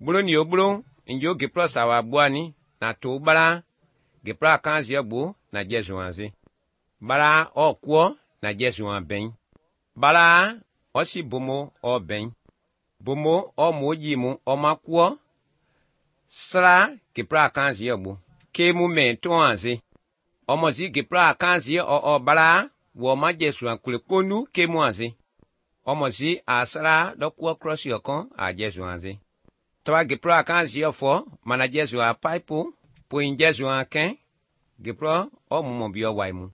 Bulu ni obulu, njo gipro sawa buani, na to bala, gipra kanzi bu na jesuanzi. Bala o kwo na jesuan ben. Bala o si bomo o ben. Bomo o moji mu o makwo. Sra gipra kanzi bu. Kemu men to anzi. Omozi gipra kanzi o bala, wo ma jesuan kule konu kemu anzi. Omozi asra do kwa cross yokon a jesuanzi. Twa gipra kanzi fo, mana jesua paipu, po in jesua ken, gipro o mumobio waimu.